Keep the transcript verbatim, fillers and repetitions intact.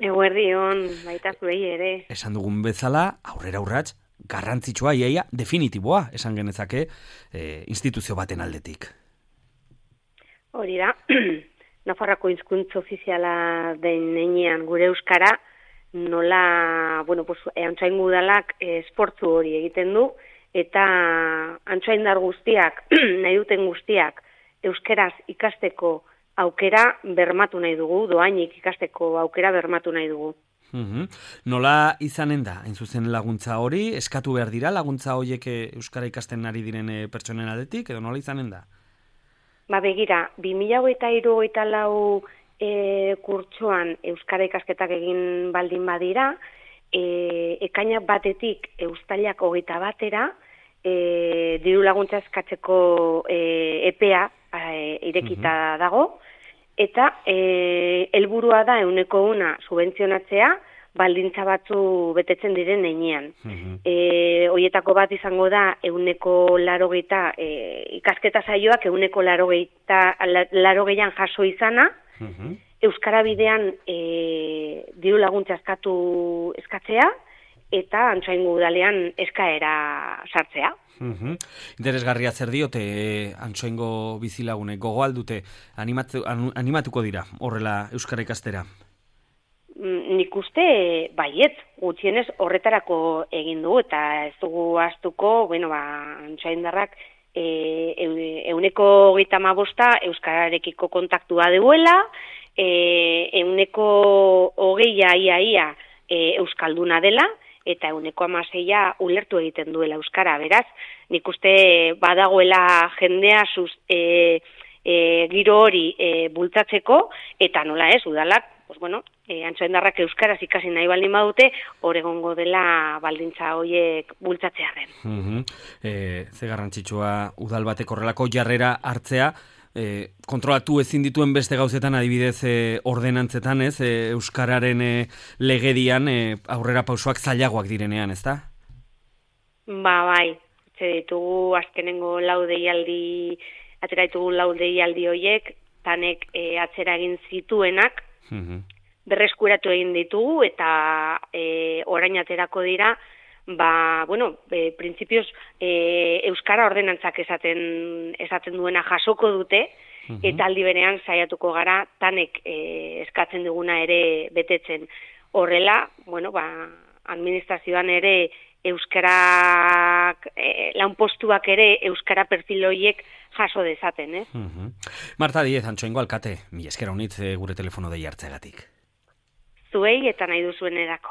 Eguerdion, baita zuei ere. Esan dugun bezala, aurrera urrats, garrantzitsua, iaia, definitiboa, esan genezake, e, instituzio baten aldetik. Hori da, Nafarroako hizkuntza ofiziala den heinean gure euskara, nola, bueno, pues, Antsoaingo udalak esportzu hori egiten du, eta Antsoaindar guztiak, nahi duten guztiak, euskeraz ikasteko aukera bermatu nahi dugu, doainik ikasteko aukera bermatu nahi dugu. Uhum. Nola izanen da, hain zuzen laguntza hori, eskatu behar dira laguntza horiek euskara ikasten ari diren pertsonen aldetik, edo nola izanen da? Ba begira, bi mila hogeita hiru hogeita lau e, kurtsoan euskara ikasketak egin baldin badira, e, ekainak batetik uztailak hogeita batera, e, diru laguntza eskatzeko e, epea e, irekita uh-huh. dago, eta e, helburua da ehuneko una subentzionatzea, baldintza batzu betetzen diren heinean. Uh-huh. E, hoietako bat izango da ehuneko laurogeita e, ikasketa saioak ehuneko laurogeita laurogeian jaso izana, uh-huh. euskara bidean e, diru laguntza eskatu eskatzea eta Antsoaingo udalean eskaera sartzea. Uhum. Interesgarria zer diote Antsoaingo bizilagunek gogo aldute animatu, animatuko dira horrela euskara ikastera? Nik uste baietz, gutxienez horretarako egin du, eta ez dugu ahaztuko, bueno, ba, Antsoaindarrak e, euneko hogeita hamabosta euskararekiko kontaktua duela, e, euneko hogeia ia ia e, euskalduna dela, eta euneko hamaseia ulertu egiten duela euskara, beraz, nik uste badagoela jendea zuz, e, e, giro hori e, bultzatzeko, eta nola ez, udalak, pues bueno, e, Antsoaindarrak euskaraz ikasi nahi baldin badute, hor egongo dela baldintza horiek bultzatzearen. Uh-huh. E, ze garrantzitsua udal batek horrelako jarrera hartzea, e, kontrolatu ezin dituen beste gauzetan, adibidez e, ordenantzetan, ez, e, euskararen e, legedian e, aurrera pausoak zailagoak direnean, ezta? Ba, bai, ze ditugu azkenengo lau deialdi, atera ditugu lau deialdi horiek, tanek e, atzera egin zituenak, uhum. berreskuratu egin ditugu eta e, orain aterako dira, ba, bueno, e, printzipioz e, euskara ordenantzak esaten, esaten duena jasoko dute, uhum. eta aldi berean saiatuko gara tanek e, eskatzen duguna ere betetzen. Horrela, bueno, ba, administrazioan ere euskarak, e, lanpostuak ere euskara perfil horiek jaso dezaten, eh? Uh-huh. Marta Diez, Antsoaingo alkate, mi eskera honitz gure telefono dei hartzeagatik. Zuei eta nahi duzuen erako.